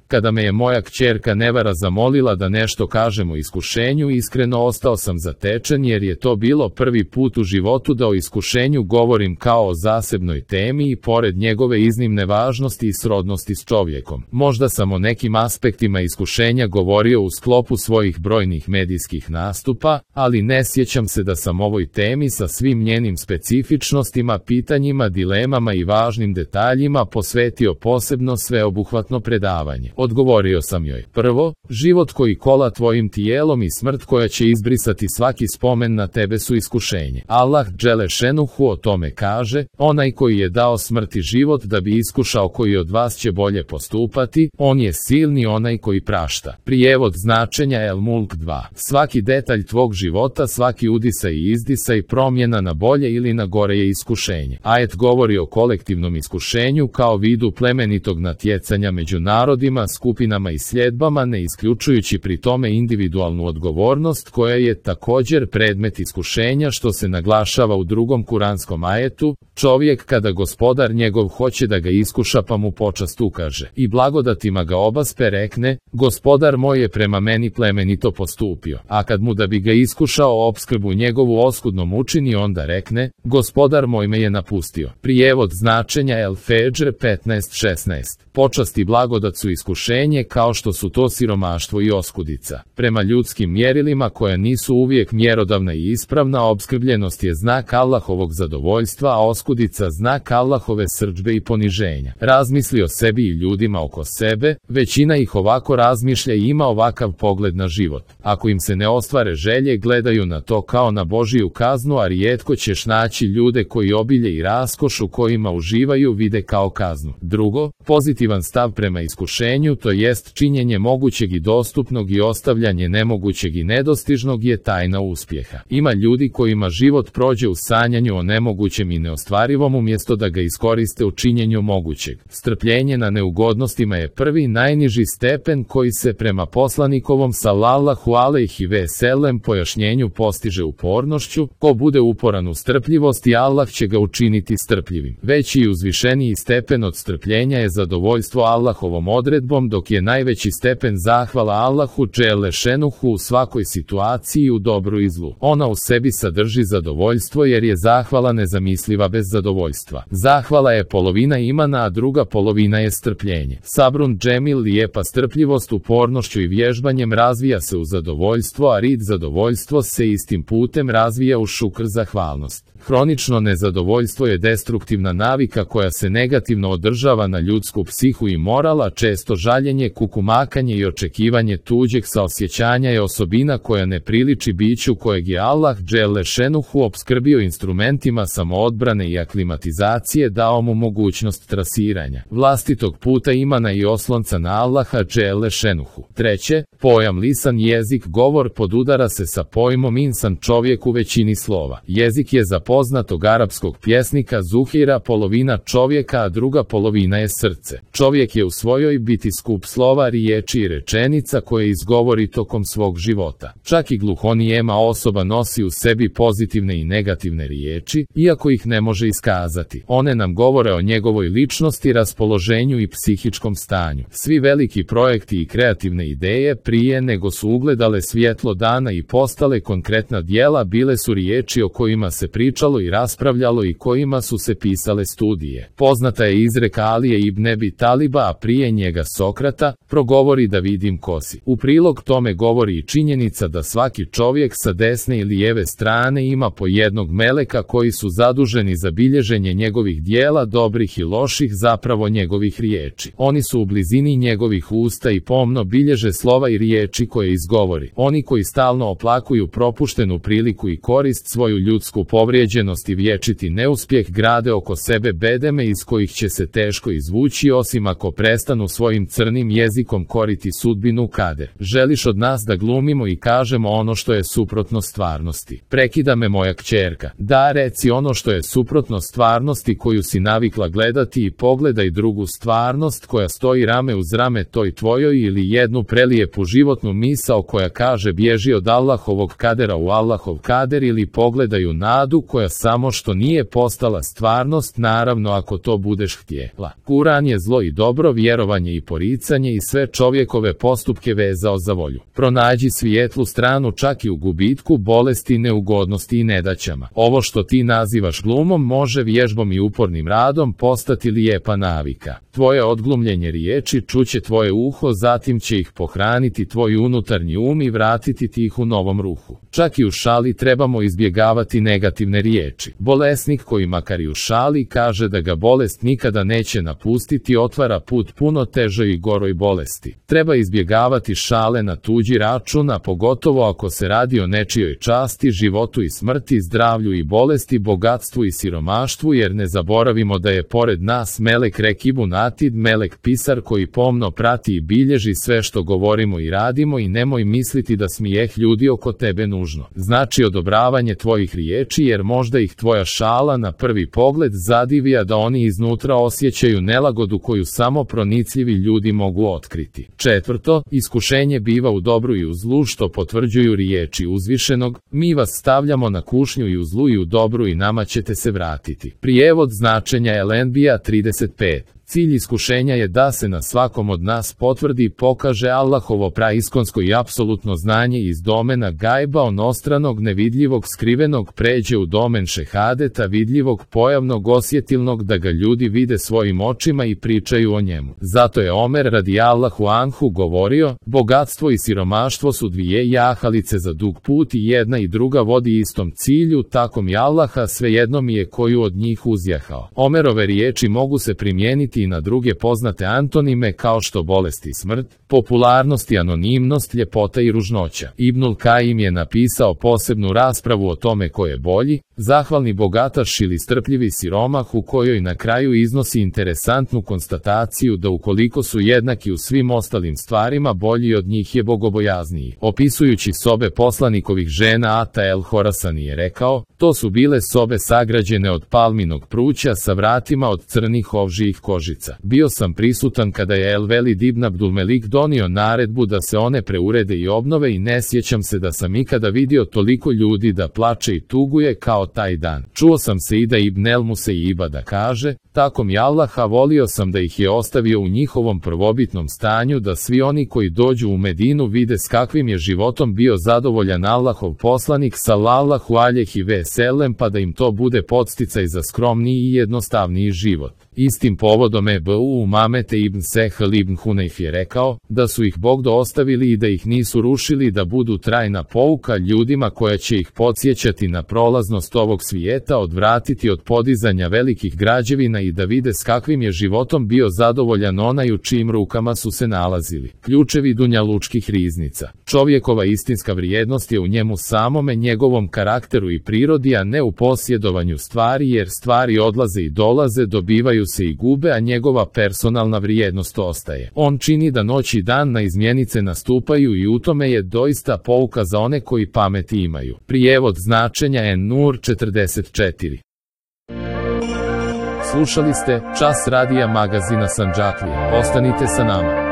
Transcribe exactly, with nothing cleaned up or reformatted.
Kada me je moja kćerka Nevara zamolila da nešto kažem o iskušenju, iskreno ostao sam zatečen jer je to bilo prvi put u životu da o iskušenju govorim kao o zasebnoj temi i pored njegove iznimne važnosti i srodnosti s čovjekom. Možda sam o nekim aspektima iskušenja govorio u sklopu svojih brojnih medijskih nastupa, ali ne sjećam se da sam ovoj temi sa svim njenim specifičnostima, pitanjima, dilemama i važnim detaljima posvetio posebno sveobuhvatno predavanje. Odgovorio sam joj: prvo, život koji kola tvojim tijelom i smrt koja će izbrisati svaki spomen na tebe su iskušenje. Allah Dželešenuhu o tome kaže: onaj koji je dao smrt i život da bi iskušao koji od vas će bolje postupati, on je silni onaj koji prašta. Prijevod značenja El Mulk dva. Svaki detalj tvog života, svaki udisaj i izdisaj, promjena na bolje ili na gore je iskušenje. Ajet govori o kolektivnom iskušenju kao vidu plemenitog natjecanja među narodima, skupinama i sljedbama, ne isključujući pri tome individualnu odgovornost koja je također predmet iskušenja, što se naglašava u drugom kuranskom ajetu: čovjek kada gospodar njegov hoće da ga iskuša pa mu počast ukaže i blagodatima ga obaspe, rekne: gospodar moj je prema meni plemenito postupio, a kad mu da bi ga iskušao opskrbu njegovu oskudnom učini, onda rekne: gospodar moj me je napustio. Prijevod značenja El Fedžr petnaest šesnaest. Počast i blagodat su iskušenje kao što su to siromaštvo i oskudica. Prema ljudskim mjerilima koja nisu uvijek mjerodavna i ispravna, opskrbljenost je znak Allahovog zadovoljstva, a oskudica znak Allahove srdžbe i poniženja. Razmisli o sebi i ljudima oko sebe, većina ih ovako razmišlja i ima ovakav pogled na život. Ako im se ne ostvare želje, gledaju na to kao na Božiju kaznu, a rijetko ćeš naći ljude koji obilje i raskoš u kojima uživaju vide kao kaznu. Drugo, pozitivan stav prema iskušenju, to jest činjenje mogućeg i dostupnog i ostavljanje nemogućeg i nedostižnog, je tajna uspjeha. Ima ljudi kojima život prođe u sanjanju o nemogućem i neostvarivom umjesto da ga iskoriste u činjenju mogućeg. Strpljenje na neugodnostima je prvi najniži stepen koji se prema poslanikovom sallallahu alejhi ve sellem pojašnjenju postiže upornošću. Ko bude uporan u strpljivosti, Allah će ga učiniti strpljivim. Veći i uzvišeniji stepen od strpljenja je zadovoljstvo Allahovom odredbom, dok je najveći stepen zahvala Allahu Dželešenuhu u svakoj situaciji, u dobru i zlu. Ona u sebi sadrži zadovoljstvo jer je zahvala nezamisliva bez zadovoljstva. Zahvala je polovina imana, a druga polovina je strpljenje. Sabrun džemil, lijepa strpljivost, upornošću i vježbanjem razvija se u zadovoljstvo, a rid zadovoljstvo se istim putem razvija u šukr, zahvalnost. Hronično nezadovoljstvo je destruktivna navika koja se negativno održava na ljudsku psihu i moral, a često žaljenje, kukumakanje i očekivanje tuđeg saosjećanja je osobina koja ne priliči biću kojeg je Allah Dželešenuhu opskrbio instrumentima samoodbrane i aklimatizacije, dao mu mogućnost trasiranja vlastitog puta imana i oslonca na Allaha Dželešenuhu. Treće, pojam lisan, jezik, govor podudara se sa pojmom insan, čovjek u većini slova. Jezik je za poznatog arapskog pjesnika Zuhira polovina čovjeka, a druga polovina je srce. Čovjek je u svojoj biti skup slova, riječi i rečenica koje izgovori tokom svog života. Čak i gluhonijema osoba nosi u sebi pozitivne i negativne riječi, iako ih ne može iskazati. One nam govore o njegovoj ličnosti, raspoloženju i psihičkom stanju. Svi veliki projekti i kreativne ideje, prije nego su ugledale svjetlo dana i postale konkretna djela, bile su riječi o kojima se pričalo i raspravljalo i kojima su se pisale studije. Poznata je izreka Alije ibn Ebi Taliba, a prije njega Sokrata: progovori da vidim ko si. U prilog tome govori i činjenica da svaki čovjek sa desne i lijeve strane ima po jednog meleka koji su zaduženi za bilježenje njegovih dijela, dobrih i loših, zapravo njegovih riječi. Oni su u blizini njegovih usta i pomno bilježe slova i riječi koje izgovori. Oni koji stalno oplakuju propuštenu priliku i korist, svoju ljudsku povrijeđenost i vječiti neuspjeh, grade oko sebe bedeme iz kojih će se teško izvući, osim ako prestanu svojim crnim jezikom koriti sudbinu kader. Želiš od nas da glumimo i kažemo ono što je suprotno stvarnosti? Prekida me moja kćerka. Da, reci ono što je suprotno stvarnosti koju si navikla gledati i pogledaj drugu stvarnost koja stoji rame uz rame toj tvojoj, ili jednu prelijepu životnu misao koja kaže bježi od Allahovog kadera u Allahov kader, ili pogledaju nadu koja samo što nije postala stvarnost, naravno ako to budeš htjela. Kuran je zlo i dobro, vjerovanje i poricanje i sve čovjekove postupke vezao za volju. Pronađi svijetlu stranu čak i u gubitku, bolesti, neugodnosti i nedaćama. Ovo što ti nazivaš glumom može vježbom i upornim radom postati lijepa navika. Tvoje odglumljenje riječi čuće tvoje uho, zatim će ih pohraniti tvoj unutarnji um i vratiti ti ih u novom ruhu. Čak i u šali trebamo izbjegavati negativne riječi. Bolesnik koji makar i u šali kaže da ga bolest nikada neće napustiti, otvara put puno težoj i goroj bolesti. Treba izbjegavati šale na tuđi račun, a pogotovo ako se radi o nečijoj časti, životu i smrti, zdravlju i bolesti, bogatstvu i siromaštvu, jer ne zaboravimo da je pored nas Melek Rekibun Atid, Melek Pisar koji pomno prati i bilježi sve što govorimo i radimo, i nemoj misliti da smijeh ljudi oko tebe nužno znači odobravanje tvojih riječi, jer možda ih tvoja šala na prvi pogled zadivi, a da oni iznutra osjećaju nelagodu koju samo pronicljivi ljudi mogu otkriti. Četvrto, iskušenje biva u dobru i u zlu, što potvrđuju riječi uzvišenog: mi vas stavljamo na kušnju i u zlu i u dobru i nama ćete se vratiti. Prijevod značenja L N B-a trideset pet. Cilj iskušenja je da se na svakom od nas potvrdi i pokaže Allahovo praiskonsko i apsolutno znanje iz domena gajba, onostranog, nevidljivog, skrivenog, pređe u domen šehadeta, vidljivog, pojavnog, osjetilnog, da ga ljudi vide svojim očima i pričaju o njemu. Zato je Omer radijallahu anhu govorio: bogatstvo i siromaštvo su dvije jahalice za dug put i jedna i druga vodi istom cilju, tako mi Allaha svejedno mi je koju od njih uzjahao. Omerove riječi mogu se primijeniti i na druge poznate antonime kao što bolest i smrt, popularnost i anonimnost, ljepota i ružnoća. Ibnul Kajim je napisao posebnu raspravu o tome ko je bolji, zahvalni bogataš ili strpljivi siromah, u kojoj na kraju iznosi interesantnu konstataciju da ukoliko su jednaki u svim ostalim stvarima, bolji od njih je bogobojazniji. Opisujući sobe poslanikovih žena, Ata el Horasani je rekao: to su bile sobe sagrađene od palminog pruća sa vratima od crnih ovžijih kožica. Bio sam prisutan kada je El Velid ibn Abdulmelik donio naredbu da se one preurede i obnove, i ne sjećam se da sam ikada vidio toliko ljudi da plače i tuguje kao taj dan. Čuo sam Seida ibn el Museiba da kaže: tako mi Allaha, volio sam da ih je ostavio u njihovom prvobitnom stanju, da svi oni koji dođu u Medinu vide s kakvim je životom bio zadovoljan Allahov poslanik sallallahu alejhi ve sellem, pa da im to bude podsticaj za skromniji i jednostavniji život. Istim povodom Ebu Umamete ibn Sehl ibn Hunayf je rekao da su ih Bogdo ostavili i da ih nisu rušili, da budu trajna pouka ljudima koja će ih podsjećati na prolaznost ovog svijeta, odvratiti od podizanja velikih građevina i da vide s kakvim je životom bio zadovoljan onaj u čijim rukama su se nalazili. Ključevi dunjalučkih riznica. Čovjekova istinska vrijednost je u njemu samome, njegovom karakteru i prirodi, a ne u posjedovanju stvari, jer stvari odlaze i dolaze, dobivaju se i gube, a njegova personalna vrijednost ostaje. On čini da noć i dan na izmjenice nastupaju, i u tome je doista pouka za one koji pameti imaju. Prijevod značenja En-Nur četrdeset četiri. Slušali ste Čas radija magazina Sandžaklija. Ostanite sa nama.